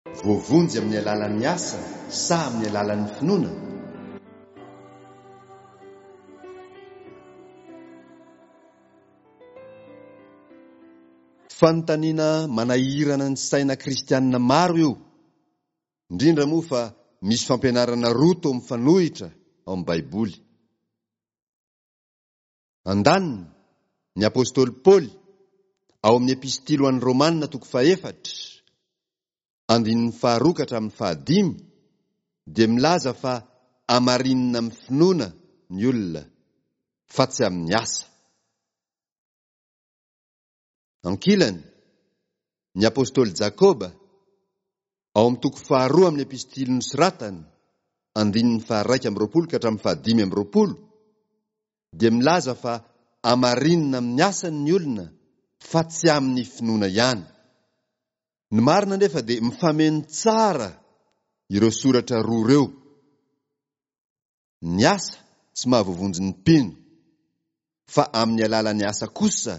Voavonjy amin'ny alalan'ny asa sa amin'ny alalan'ny finoana? Fanontaniana manahirana ny saina kristianina maro io, indrindra moa fa misy fampianarana roa toa mifanohitra ao amin'ny Baiboly. Andaniny, ny apostoly Paoly, ao amin'ny Epistily ho an'ny Romana toko fahefatra, andininy faharoa ka hatramin'ny fahadimy, dia milaza fa amarinina amin'ny finoana ny olona, fa tsy amin'ny asa. Ankilany, ny apostoly Jakoba, ao amin'ny toko faharoa amin'ny epistily nosoratany, andininy faha-21 ka hatramin'ny faha-25, dia milaza fa amarinina amin'ny asany ny olona fa tsy amin'ny finoana ihany. Ny marina anefa dia mifameno tsara ireo soratra roa ireo. Ny asa tsy mahavoavonjy ny mpino, fa amin'ny alalan'ny asa kosa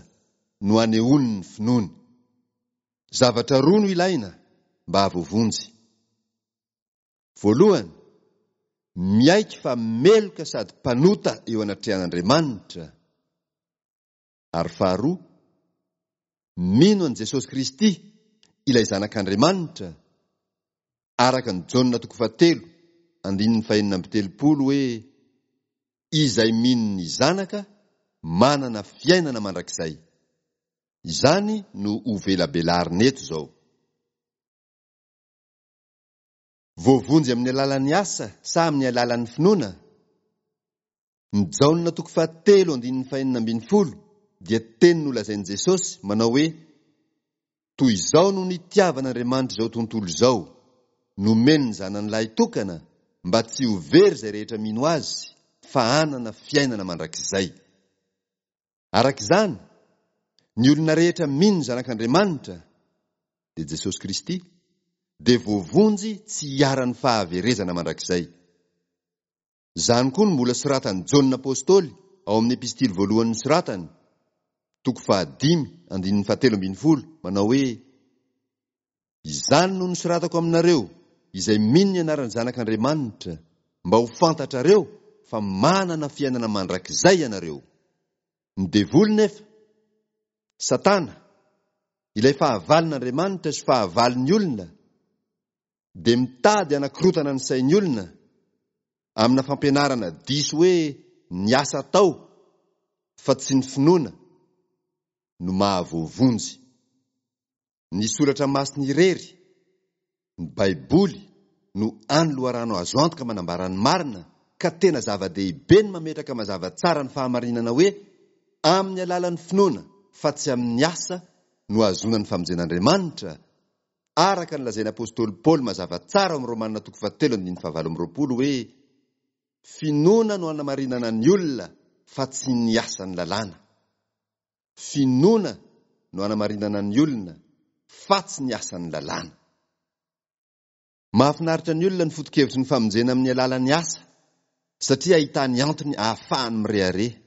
no anehoany ny finoany. Zavatra roa no ilaina mba hahavoavonjy. Voalohany, miaiky fa meloka sady mpanota eo anatrehan'Andriamanitra, ary faharoa, mino an'i Jesosy Kristy, ilay Zanak'Andriamanitra, araka ny Jaona toko fahatelo andininy fahenina amby telopolo hoe, Izay mino ny Zanaka manana fiainana mandrakizay. Izany no hovelabelarina eto izao. Voavonjy amin'ny alalan'ny asa sa amin'ny alalan'ny finoana? Ny Jaona toko fahatelo andininy fahenina ambin'ny folo dia teny nolazain'i Jesosy manao hoe, Toy izao no nitiavan'Andriamanitra izao tontolo izao, nomeny ny Zanany lahitokana mba tsy ho very izay rehetra mino Azy fa hanana fiainana mandrakizay. Araka izany, ny olona rehetra mino ny Zanak'Andriamanitra, dia Jesosy Kristy, dia voavonjy tsy hiharan'ny fahaverezana mandrakizay. Izany koa no mbola soratan'i Jaona Apostoly ao amin'ny epistily voalohany nosoratany, toko fahadimy, andininy fahatelo ambin'ny folo, manao hoe, Izany no nosoratako aminareo, izay mino ny anaran'ny Zanak'Andriamanitra, mba ho fantatrareo fa manana fiainana mandrakizay ianareo. Ny devoly nefa, Satana, ilay fahavalon'Andriamanitra sy fahavalon'ny olona, dia mitady hanakorotana ny sain'ny olona amina fampianarana diso hoe ny asa atao fa tsy ny finoana no mahavoavonjy. Ny Soratra Masina irery, ny Baiboly, no hany loharano azo antoka manambara ny marina, ka tena zava-dehibe ny mametraka mazava tsara ny fahamarinana hoe amin'ny alalan'ny finoana fa tsy amin'ny asa no ahazoana ny famonjen'Andriamanitra, araka ny lazain'ny apostoly Paoly mazava tsara ao amin'ny Romana toko fahatelo andininy fahavalo amby roapolo hoe, Finoana no anamarinana ny olona fa tsy ny asan'ny lalàna. Finoana no anamarinana ny olona fa tsy ny asan'ny lalàna. Mahafinaritra ny olona ny foto-kevitry ny famonjena amin'ny alalan'ny asa satria ahitany antony ahafahany mirehareha.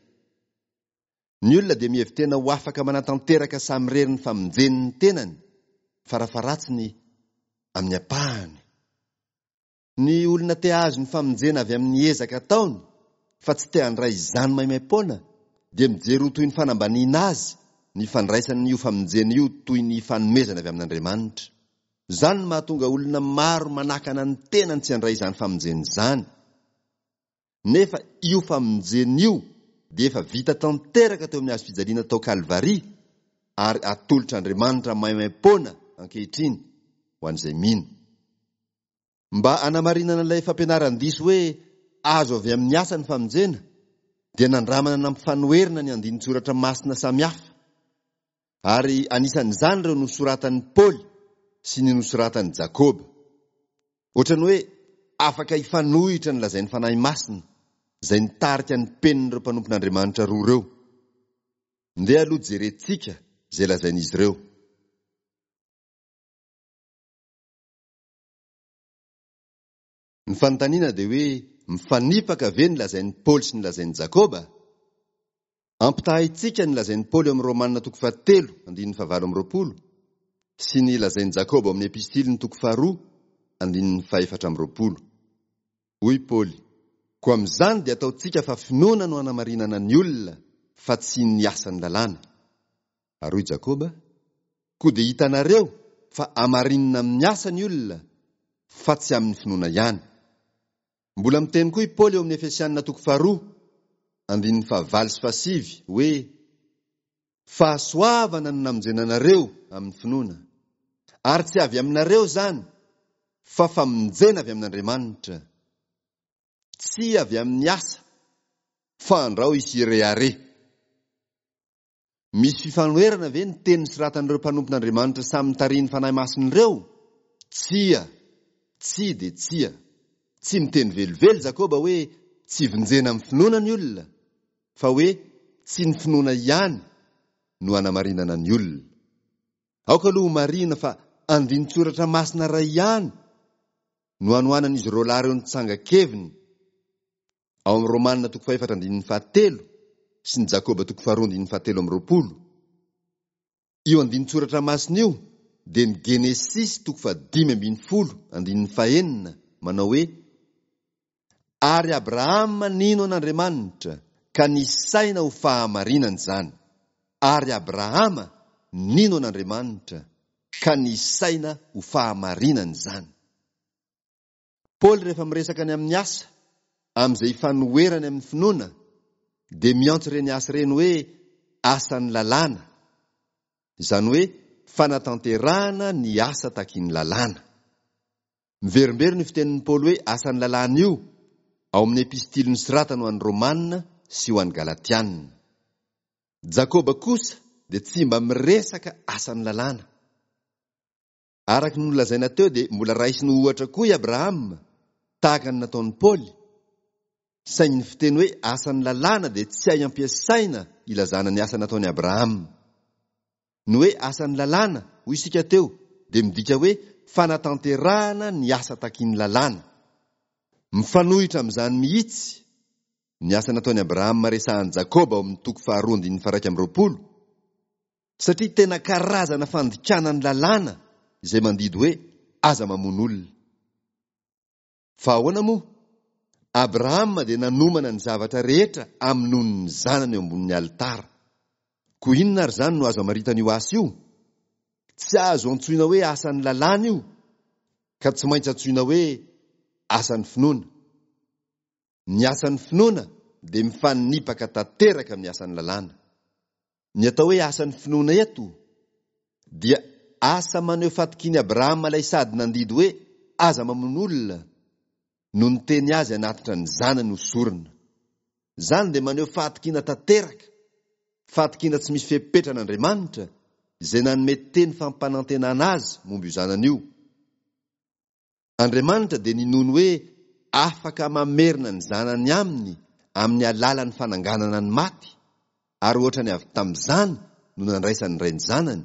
Ny olona dia mihevi-tena ho afaka manatanteraka samirery ny famonjeny ny tenany, farafaharatsiny amin'ny ampahany. Ny olona te hahazo ny famonjena avy amin'ny ezaka ataony fa tsy te handray izany maimaim-poana dia mijery ho toy ny fanambaniana azy ny fandraisany io famonjena io toy ny fanomezana avy amin'Andriamanitra. Izany no mahatonga olona maro manakana ny tenany tsy handray izany famonjena izany. Nefa io famonjena io dia efa vita tanteraka teo amin'ny hazo fijaliana tao Kalvary ary atolotr'Andriamanitra maimaim-poana ankehitriny ho an'izay mino. Mba hanamarinana ilay fampianaran-diso hoe azo avy amin'ny asa ny famonjena, dia nandramana nampifanoherina ny andinin-tsoratra masina samihafa, ary anisan'izany ireo nosoratan'i Paoly sy ny nosoratan'i Jakoba. Ohatran'ny hoe afaka hifanohitra ny lazain'ny Fanahy Masina, izay nitarika ny penin'ireo mpanompon'Andriamanitra roa ireo. Ndeha aloha jerentsika izay lazain'izy ireo. Ny fanontaniana dia hoe, mifanipaka ve ny lazain'i Paoly sy ny lazain'i Jakoba? Ampitahaintsika ny lazain'i Paoly ao amin'ny Romana toko fahatelo andininy fahavalo amby roapolo. sy ny lazain'i Jakoba ao amin'ny epistiliny toko faharoa andininy fahefatra amby 20. Hoy Paoly, Koa amin'izany dia ataontsika fa finoana no anamarinana ny olona fa tsy ny asan'ny lalàna. Ary hoy Jakoba, Koa dia hitanareo fa amarinina amin'ny asa ny olona fa tsy amin'ny finoana ihany. Mbola miteny koa i Paoly eo amin'ny Efesianina toko faharoa, andininy fahavalo sy fahasivy, hoe, Fahasoavana no namonjena anareo amin'ny finoana, ary tsy avy aminareo izany, fa famonjena avy amin'Andriamanitra, tsy avy amin'ny asa, fa andrao hisy hirehareha. Misy fifanoherana ve ny teny nosoratan'ireo mpanompon'Andriamanitra samy notarihin'ny Fanahy Masina ireo? Tsia, tsia dia tsia. Tsy miteny velively Jakoba hoe tsy vonjena amin'ny finoana ny olona, fa hoe tsy ny finoana ihany no anamarinana ny olona. Aoka aloha homarihina fa andinin-tsoratra masina iray ihany no anohanan'izy roalahy ireo ny tsangan-keviny, ao amin'ny Romana toko fahefatra andininy fahatelo sy ny Jakoba toko faharoa andininy fahatelo amby 20. Io andinin-tsoratra masina io dia ny Genesisy toko faha-15 andininy fahenina manao hoe, Ary Abrahama nino an'Andriamanitra, ka nisaina ho fahamarinana izany. Ary Abrahama nino an'Andriamanitra, ka nisaina ho fahamarinana izany. Paoly rehefa miresaka ny amin'ny asa, amin'izay ifanoherany amin'ny finoana, dia miantso ireny asa ireny hoe asan'ny lalàna, izany hoe fanatanterahana ny asa takin'ny lalàna. Miverimberina io fitenin'i Paoly hoe asan'ny lalàna io ao amin'ny epistily nosoratany ho an'ny Romana sy ho an'ny Galatiana. Jakoba kosa dia tsy mba miresaka asan'ny lalàna. Araka ny nolazaina teo dia mbola raisiny ho ohatra koa i Abrahama, tahaka ny nataon'i Paoly, saingy ny fiteny hoe asan'ny lalàna dia tsy hay ampiasaina ilazana ny asa nataon'i Abrahama. Ny hoe asan'ny lalàna, hoy isika teo, dia midika hoe fanatanterahana ny asa takin'ny lalàna. Mifanohitra amin'izany mihitsy ny asa nataon'i Abrahama resahan'i Jakoba ao amin'ny toko faharoa andininy faha-21, Satria tena karazana fandikana ny lalàna izay mandidy hoe aza mamono olona. Fa ahoana moa? Abrahama dia nanomana ny zavatra rehetra hamonoany ny zanany eo ambonin'ny alitara. Koa inona ary izany no azo amaritana io asa io? Tsy azo antsoina hoe asan'ny lalàna io, ka tsy maintsy antsoina hoe asan'ny finoana. Ny asan'ny finoana dia mifanipaka tanteraka amin'ny asan'ny lalàna. Ny atao hoe asan'ny finoana eto dia asa maneho fatokian'i Abrahama ilay sady nandidy hoe aza mamono olona no niteny azy hanatitra ny zanany ho sorona. Izany dia maneho fahatokiana tanteraka, fahatokiana tsy misy fepetra an'Andriamanitra izay nanome teny fampanantenana azy momba io zanany io. Andriamanitra dia ninoany hoe afaka mamerina ny zanany aminy amin'ny alalan'ny fananganana ny maty, ary ohatrany avy tamin'izany no nandraisan'ny Ray ny Zanany,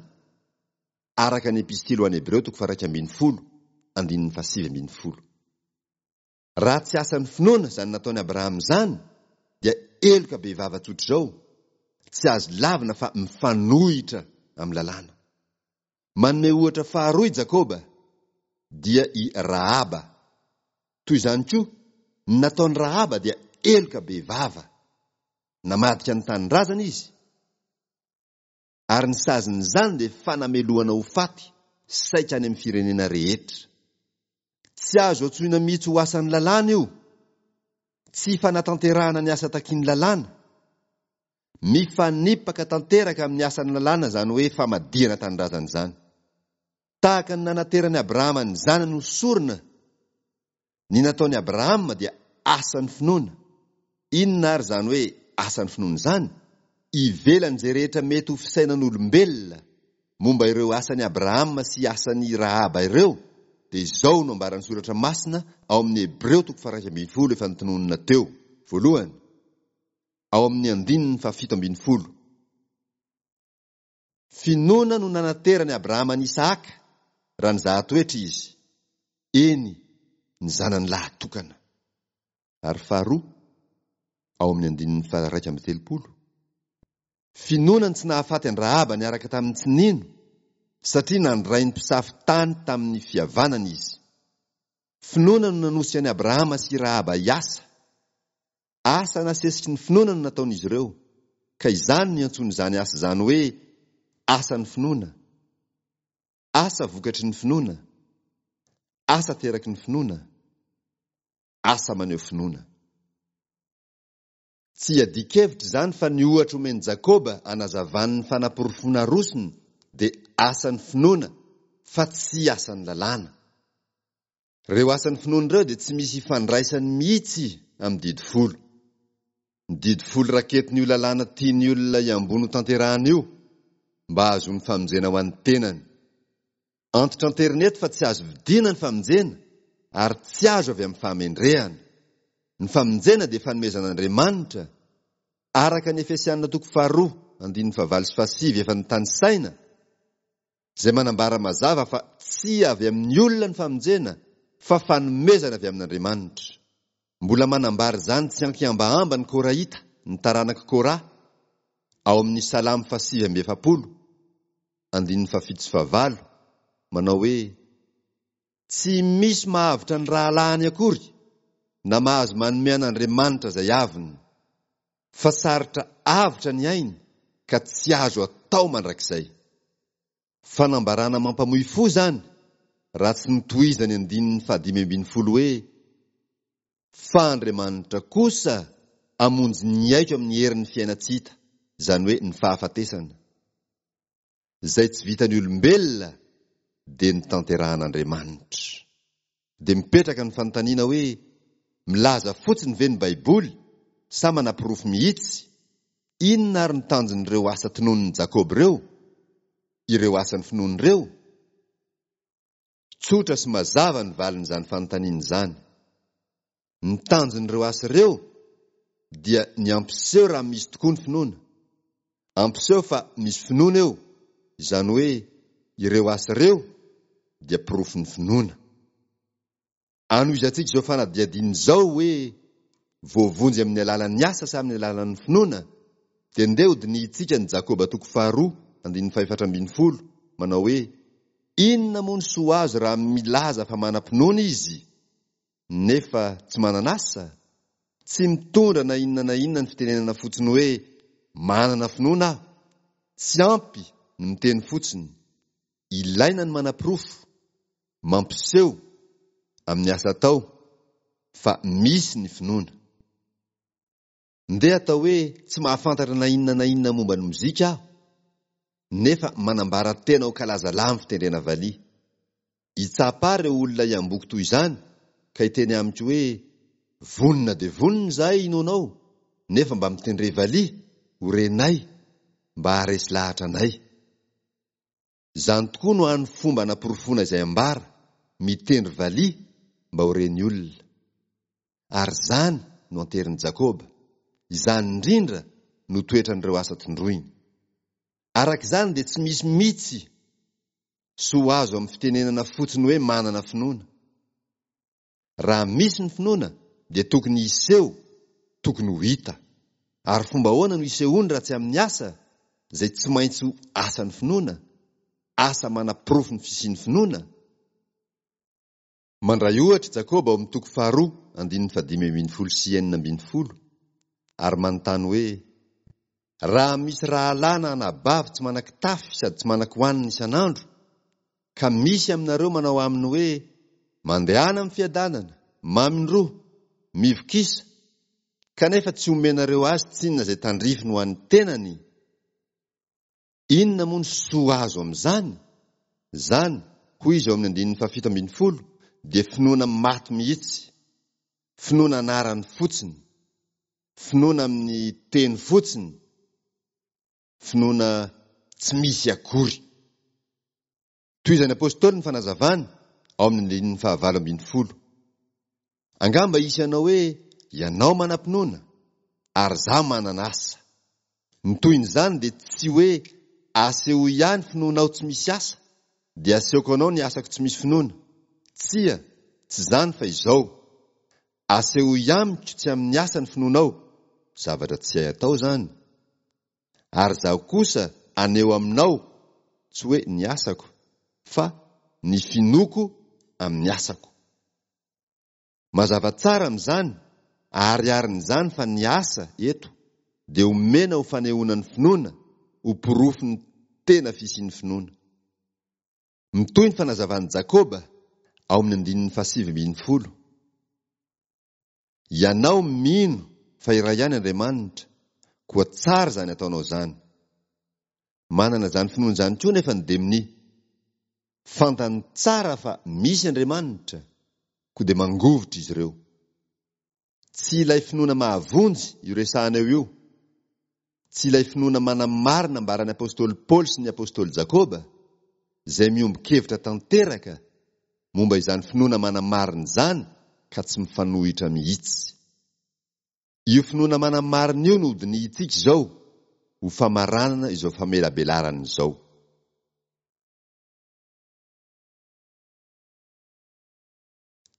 araka ny Epistily ho an'ny Hebreo toko faha-11, andininy faha-19. Raha tsy asan'ny finoana izany nataon'i Abrahama izany, dia heloka bevava tsotr'izao, tsy azo lavina fa mifanohitra amin'ny lalàna. Manome ohatra faharoa i Jakoba, dia i Rahaba. Toy izany koa, ny nataon'i Rahaba dia heloka bevava. Namadika ny tanindrazana izy, ary ny sazin'izany dia fanamelohana ho faty saika any amin'ny firenena rehetra. Tsy azo antsoina mihitsy ho asan'ny lalàna io. Tsy fanatanterahana ny asa takian'ny lalàna. Mifanipaka tanteraka amin'ny asan'ny lalàna izany hoe famadihana tanindrazana izany. Tahaka ny nanateran'i Abrahama ny zanany ho sorona, ny nataon'i Abrahama dia asan'ny finoana. Inona àry izany hoe asan'ny finoana izany? Ivelan'izay rehetra mety ho fisainan'olombelona momba ireo asan'i Abrahama sy asan'i Rahaba ireo, dia izao no ambaran'ny Soratra Masina ao amin'ny Hebreo toko faha-11 efa notononina teo, voalohany, ao amin'ny andininy faha-17. Finoana no nanateran'i Abrahama an'i Isahaka raha nizaha toetra izy, eny, ny zanany lahy tokana. Ary faharoa, ao amin'ny andininy faha-31, finoana no tsy nahafaty an-dRahaba niaraka tamin'ny tsy nino. satria nandray ny mpisafo tany tamin'ny fihavanana izy. Finoana no nanosika an'i Abrahama sy i Rahaba hiasa. Asa nasesiky ny finoana no nataon'izy ireo, ka izany no iantsoana izany asa izany hoe asan'ny finoana, asa vokatry ny finoana, asa ateraky ny finoana, asa maneho finoana. Tsy iadian-kevitra izany fa ny ohatra omen'i Jakoba anazavany ny fanaporofoana arosony dia asan'ny finoana fa tsy asan'ny lalàna. Ireo asan'ny finoana ireo dia tsy misy ifandraisany mihitsy amin'ny didy folo. Ny didy folo raketin'io lalàna tian'ny olona hiambony hotanterahana io mba hahazoany famonjena ho an'ny tenany. Antitra an-terineto fa tsy azo vidiana ny famonjena ary tsy azo avy amin'ny fahamendrehana. Ny famonjena dia fanomezan'Andriamanitra, araka ny Efesiana toko faharoa andininy fahavalo sy fahasivy efa notanisaina, izay manambara mazava fa tsy avy amin'ny olona ny famonjena fa fanomezana avy amin'Andriamanitra. Mbola manambara izany tsy ankihambahamba ny Korahita, ny taranak'i Korah, ao amin'ny Salamo fahasivy amby 40. andininy fahafito sy fahavalo, manao hoe, Tsy misy mahavotra ny rahalahiny akory, na mahazo manome an'Andriamanitra izay aviny, fa sarotra avotra ny ainy ka tsy azo atao mandrakizay. Fanambarana mampamoy fo izany raha tsy notohizany andininy fahadimy ambin'ny folo hoe, Fa Andriamanitra kosa hamonjy ny aiko amin'ny herin'ny fiainan-tsy hita, izany hoe ny fahafatesana. Izay tsy vitan'ny olombelona dia notanterahan'Andriamanitra. Dia mipetraka ny fanontaniana hoe, milaza fotsiny ve ny Baiboly sa manaporofo mihitsy? Inona ary no tanjon'ireo asa tononin'i Jakoba ireo? Ireo asan'ny finoana ireo? Tsotra sy mazava ny valin'izany fanontaniana izany. Ny tanjon'ireo asa ireo dia ny hampiseho raha misy tokoa ny finoana. Hampiseho fa misy finoana eo, izany hoe ireo asa ireo dia porofon'ny finoana. Anohizantsika izao fanadihadiana izao hoe voavonjy amin'ny alalan'ny asa sa amin'ny alalan'ny finoana, dia ndeha hodinihintsika ny Jakoba toko faharoa andininy fahefatra ambin'ny folo manao hoe inona moa ny soa azo raha milaza fa manam-pinoana izy nefa tsy manana asa? Tsy mitondra na inona na inona ny fitenenana fotsiny hoe manana finoana aho. Tsy ampy ny miteny fotsiny. Ilaina ny manaporofo. Mampiseho, amin'ny asa atao, fa misy ny finoana. Ndeha atao hoe tsy mahafantatra na inona na inona momba ny mozika aho, nefa manambara tena ho kalazalahy amin'ny fitendrena valiha. Hitsapa ahy ireo olona hiamboho toy izany ka hiteny amiko hoe, Vonona dia vonona izahay hino anao, nefa mba mitendre valiha, ho renay, mba haharesy lahatra anay. Izany tokoa no hany fomba anaporofoana izay ambara, mitendry valiha mba ho ren'ny olona. Ary izany no anterin'i Jakoba. Izany indrindra no toetran'ireo asa tondroiny. Araka izany dia tsy misy mihitsy soa azo amin'ny fitenenana fotsiny hoe manana finoana. Raha misy ny finoana dia tokony hiseho, tokony ho hita. Ary fomba ahoana no hisehoany raha tsy amin'ny asa, izay tsy maintsy ho asan'ny finoana, asa manaporofo ny fisian'ny finoana? Mandray ohatra i Jakoba ao amin'ny toko faharoa andininy fahadimy ambin'ny folo sy 16 ary manontany hoe, Raha misy rahalahy na anabavy tsy manan-kitafy sady tsy manan-kohanina isan'andro, ka misy aminareo manao aminy hoe, Mandehana amin'ny fiadanana, mamindroa, mivokisa, kanefa tsy omenareo azy tsinona izay tandrifiny ho an'ny tenany, inona moa ny soa azo amin'izany? Izany, hoy izy ao amin'ny andininy fahafito ambin'ny folo, dia finoana maty mihitsy, finoana anarany fotsiny, finoana amin'ny teny fotsiny, finoana tsy misy akory. Tohizan'ny Apostoly ny fanazavany ao amin'ny andininy fahavalo ambin'ny folo. Angamba hisy hanao hoe, Ianao manam-pinoana, ary izaho manana asa. Ny tohin'izany dia tsy hoe asehoy ahy ny finoanao tsy misy asa, dia asehoko anao ny asako tsy misy finoana. Tsia, tsy izany fa izao, asehoy amiko tsy amin'ny asa ny finoanao, zavatra tsy hay atao izany, ary izaho kosa haneho aminao, tsy hoe ny asako, fa ny finoako amin'ny asako. Mazava tsara amin'izany, ahariharin'izany fa ny asa eto dia omena ho fanehoana ny finoana, ho porofon'ny tena fisian'ny finoana. Mitohy ny fanazavan'i Jakoba ao amin'ny andininy fahasivy ambin'ny folo. Ianao mino fa iray ihany Andriamanitra, koa tsara izany ataonao izany. Manana izany finoana izany koa nefa ny demonia. Fantany tsara fa misy Andriamanitra, koa dia mangovitra izy ireo. Tsy ilay finoana mahavonjy io resahana eo io. Tsy ilay finoana manamarina ambaran'ny apostoly Paoly sy ny apostoly Jakoba, izay miombon-kevitra tanteraka momba izany finoana manamarina izany ka tsy mifanohitra mihitsy. Io finoana manamarina io no hodinihintsika izao ho famaranana izao famelabelarana izao.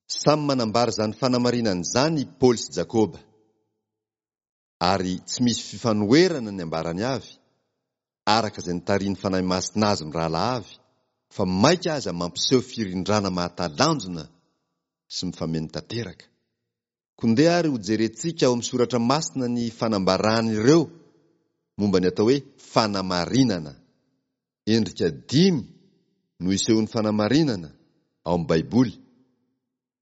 Samy manambara izany fanamarinana izany i Paoly sy Jakoba. Ary tsy misy fifanoherana ny ambarany avy, araka izay nitarihin'ny Fanahy Masina azy mirahalahy avy, fa mainka aza mampiseho firindrana mahatalanjona sy mifameno tanteraka. Koa ndeha ary hojerentsika ao amin'ny Soratra Masina ny fanambaran'ireo momba ny atao hoe fanamarinana. Endrika dimy no isehoan'ny fanamarinana ao amin'ny Baiboly,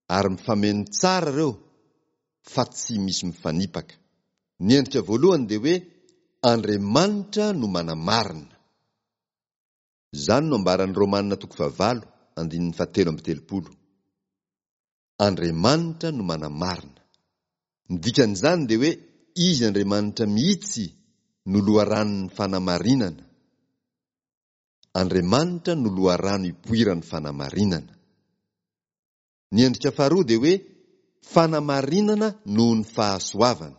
ary mifameno tsara ireo fa tsy misy mifanipaka. Ny endrika voalohany dia hoe Andriamanitra no manamarina. Izany no ambaran'ny Romana toko fahavalo andininy fahatelo amby telopolo. Andriamanitra no manamarina. Ny dikan'izany dia hoe Izy Andriamanitra mihitsy no loharanon'ny fanamarinana. Andriamanitra no loharano ipoiran'ny fanamarinana. Ny endrika faharoa dia hoe fanamarinana noho ny fahasoavana.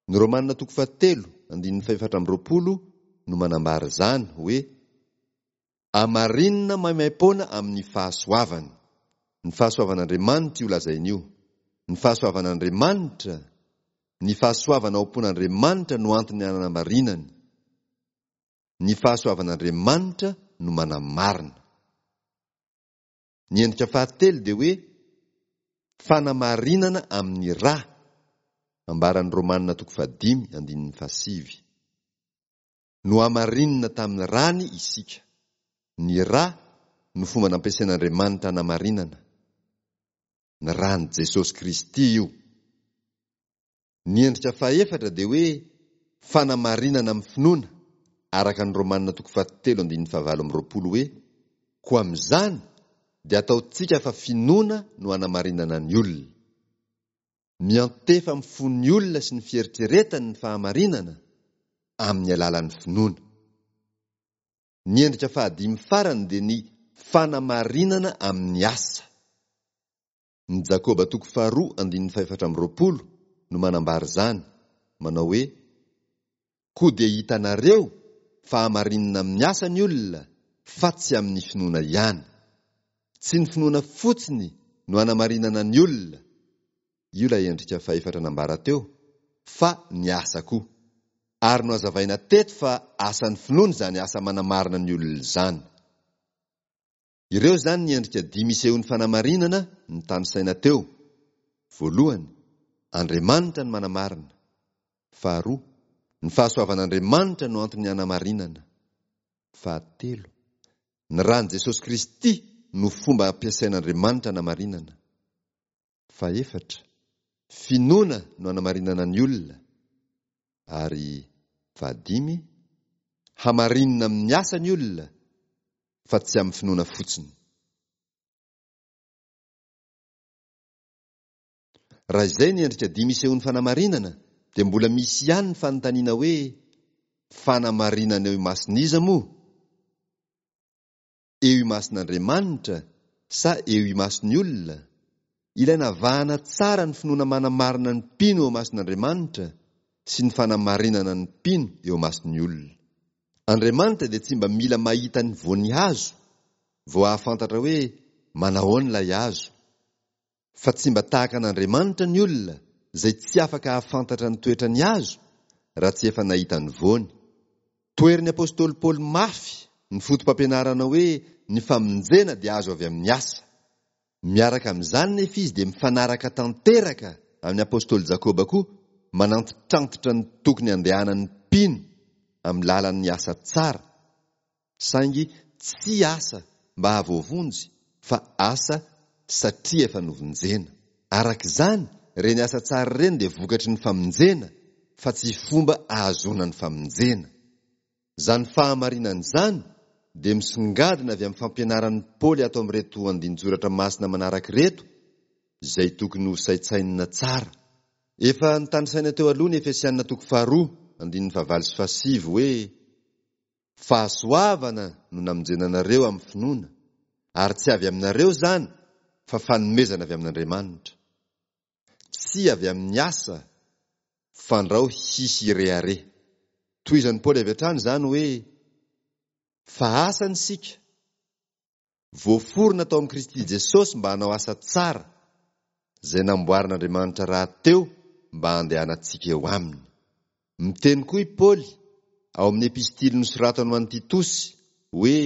Ny Romana toko fahatelo andininy fahefatra amby roapolo no manambara izany hoe amarinina maimaim-poana amin'ny fahasoavany. Ny fahasoavan'Andriamanitra io lazainy io. Ny fahasoavan'Andriamanitra, ny fahasoavana ao am-pon'Andriamanitra no antony anamarinany. Ny fahasoavan'Andriamanitra no manamarina. Ny endrika fahatelo dia hoe fanamarinana amin'ny ra, ambaran'ny Romana toko fahadimy andininy fahasivy. Nohamarinina tamin'ny rany isika. Ny ra no fomba nampiasain'Andriamanitra hanamarinana. Ny ran'i Jesosy Kristy io. Ny endrika fahefatra dia hoe fanamarinana amin'ny finoana, araka ny Romana toko fahatelo andininy fahavalo amby roapolo hoe koa amin'izany dia ataontsika fa finoana no hanamarinana ny olona. Miantefa amin'ny fon'ny olona sy ny fieritreretany ny fahamarinana amin'ny alalan'ny finoana. Ny endrika fahadimy farany dia ny fanamarinana amin'ny asa. Ny Jakoba toko faharoa andininy fahefatra amby roapolo no manambara izany, manao hoe koa dia hitanareo fa hamarinina amin'ny asa ny olona fa tsy amin'ny finoana ihany. Tsy ny finoana fotsiny no hanamarinana ny olona, io ilay endrika fahefatra nambara teo, fa ny asa koa. Ary nohazavaina teto fa asan'ny finoana izany asa manamarina ny olona izany. Ireo izany ny endrika dimy isehoan'ny fanamarinana notanisaina teo. Voalohany, Andriamanitra no manamarina. Faharoa, ny fahasoavan'Andriamanitra no antony hanamarinana. Fahatelo, ny ran'i Jesosy Kristy no fomba ampiasain'Andriamanitra hanamarinana. Fahefatra, finoana no hanamarinana ny olona. Ary fahadimy, hamarinina amin'ny asa ny olona fa tsy amin'ny finoana fotsiny. Raha izay ny endrika dimy isehoan'ny fanamarinana dia mbola misy ihany ny fanontaniana hoe fanamarinana eo imason'iza moa? Eo imason'Andriamanitra sa eo imason'ny olona? Ilaina avahana tsara ny finoana manamarina ny mpino eo imason'Andriamanitra sy ny fanamarinana ny mpino eo imason'ny olona. Andriamanitra dia tsy mba mila mahita ny voan'ny hazo vao hahafantatra hoe manahoana ilay hazo. Fa tsy mba tahaka an'Andriamanitra ny olona izay tsy afaka hahafantatra ny toetran'ny hazo raha tsy efa nahita ny voany. Toherin'ny apostoly Paoly mafy. ny foto-pampianarana hoe ny famonjena dia azo avy amin'ny asa. Miaraka amin'izany nefa izy dia mifanaraka tanteraka amin'ny apostoly Jakoba koa manantitrantitra ny tokony handehanan'ny mpino amin'ny lalan'ny asa tsara, saingy tsy asa mba hahavoavonjy fa asa satria efa novonjena. Araka izany, ireny asa tsara ireny dia vokatry ny famonjena fa tsy fomba ahazoana ny famonjena. Izany fahamarinana izany dia misongadina avy amin'ny fampianaran'i Paoly ato amin'ireto andinin-tsoratra masina manaraka ireto, izay tokony hosaintsainina tsara. Efa notanisaina teo aloha ny Efesiana toko faharoa, andininy fahavalo sy fahasivy hoe, Fahasoavana no namonjena anareo amin'ny finoana, ary tsy avy aminareo izany, fa fanomezana avy amin'Andriamanitra. Tsy avy amin'ny asa, fandrao hisy hirehareha. Tohizan'i Paoly avy hatrany izany hoe, Fa asany isika, voaforona tao amin'i Kristy Jesosy mba hanao asa tsara, izay namboarin'Andriamanitra rahateo mba handehanantsika eo aminy. Miteny koa i Paoly ao amin'ny epistily nosoratany ho an'i Titosy hoe,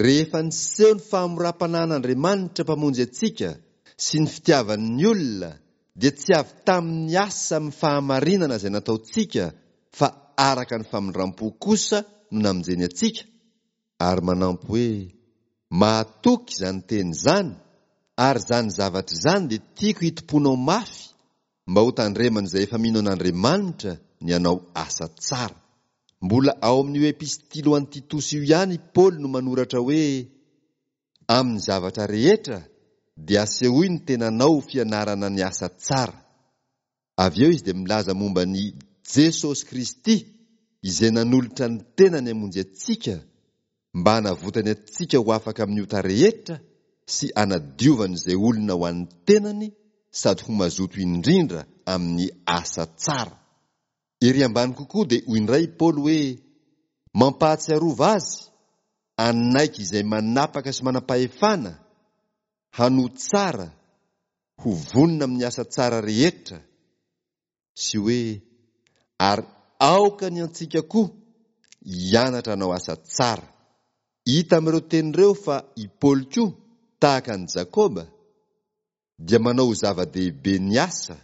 Rehefa niseho ny fahamoram-panahin'Andriamanitra Mpamonjy antsika sy ny fitiavany ny olona dia tsy avy tamin'ny asa amin'ny fahamarinana izay nataontsika fa araka ny famindram-po kosa no namonjeny antsika, ary manampy hoe, Mahatoky izany teny izany, ary izany zavatra izany dia tiako hitompoanao mafy mba ho tandreman'izay efa mino an'Andriamanitra ny hanao asa tsara. Mbola ao amin'io epistily ho an'i Titosy io ihany i Paoly no manoratra hoe, Amin'ny zavatra rehetra dia asehoy ny tenanao ho fianarana ny asa tsara. Avy eo izy dia milaza momba an'i Jesosy Kristy izay nanolotra ny tenany hamonjy antsika mba hanavotany antsika ho afaka amin'ny ota rehetra sy hanadiovany izay olona ho an'ny tenany sady ho mazoto indrindra amin'ny asa tsara. Ery ambany kokoa dia hoy indray i Paoly hoe, Mampahatsiarova azy hanaiky izay manapaka sy manam-pahefana, hanoa tsara, ho vonona amin'ny asa tsara rehetra, sy hoe ary aoka ny antsika koa hianatra hanao asa tsara. Hita amin'ireo teny ireo fa i Paoly koa, tahaka an'i Jakoba, dia manao ho zava-dehibe ny asa,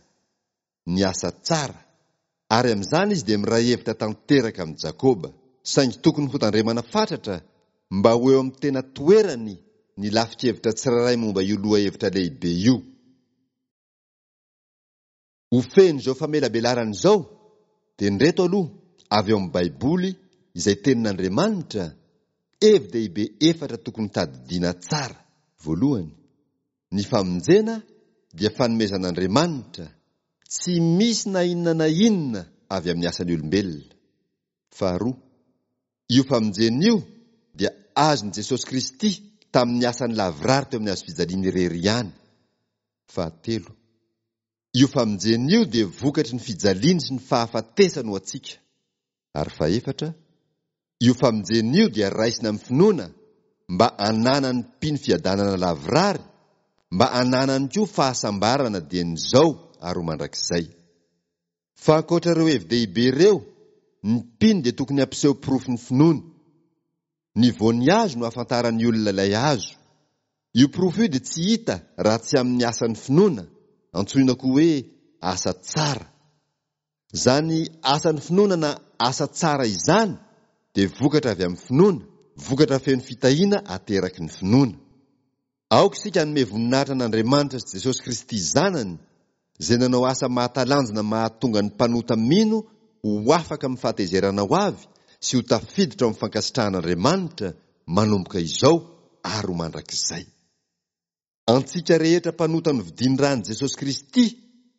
ny asa tsara, ary amin'izany izy dia miray hevitra tanteraka amin'i Jakoba. Saingy tokony hotandremana fatratra mba ho eo amin'ny tena toerany ny lafin-kevitra tsirairay momba io lohahevitra lehibe io. Ho fehin'izao famelabelarana izao dia ndreto aloha avy ao amin'ny Baiboly izay Tenin'Andriamanitra, hevi-dehibe efatra tokony tadidiana tsara. Voalohany, ny famonjena dia fanomezan'Andriamanitra, tsy misy na inona na inona avy amin'ny asan'ny olombelona. Faharoa, io famonjena io dia azon'i Jesosy Kristy tamin'ny asany lavorary teo amin'ny hazofijaliany irery ihany. Fahatelo, io famonjena io dia vokatry ny fijaliany sy ny fahafatesany ho antsika. Ary fahefatra, io famonjena io dia raisina amin'ny finoana mba hananan'ny mpino fiadanana lavorary, mba hananany koa fahasambarana dieny izao ary ho mandrakizay. Fa ankoatra ireo hevi-dehibe ireo, ny mpino dia tokony hampiseho porofon'ny finoany. Ny voan'ny hazo no ahafantaran'ny olona ilay hazo. Io porofo io dia tsy hita raha tsy amin'ny asan'ny finoana, antsoina koa hoe asa tsara. Izany asan'ny finoana na asa tsara izany dia vokatra avy amin'ny finoana, vokatra feno fitahiana ateraky ny finoana. Aoka isika hanome voninahitra an'Andriamanitra sy Jesosy Kristy Zanany, izay nanao asa mahatalanjona mahatonga ny mpanota mino ho afaka amin'ny fahatezerana ho avy sy ho tafiditra ao amin'ny fankasitrahan'Andriamanitra manomboka izao ary ho mandrakizay. Antsika rehetra mpanota novidian'ny ran'i Jesosy Kristy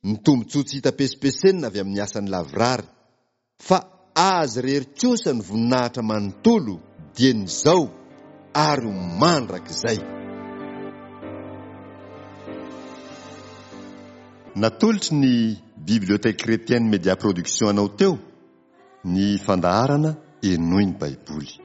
ny tombontsoa tsy hita pesipesenina avy amin'ny asany lavorary. Fa Azy irery kosa ny voninahitra manontolo dieny izao ary ho mandrakizay. Natolotry ny Bibliothèque Chrétienne Media Production anao teo ny fandaharana Henoy ny Baiboly.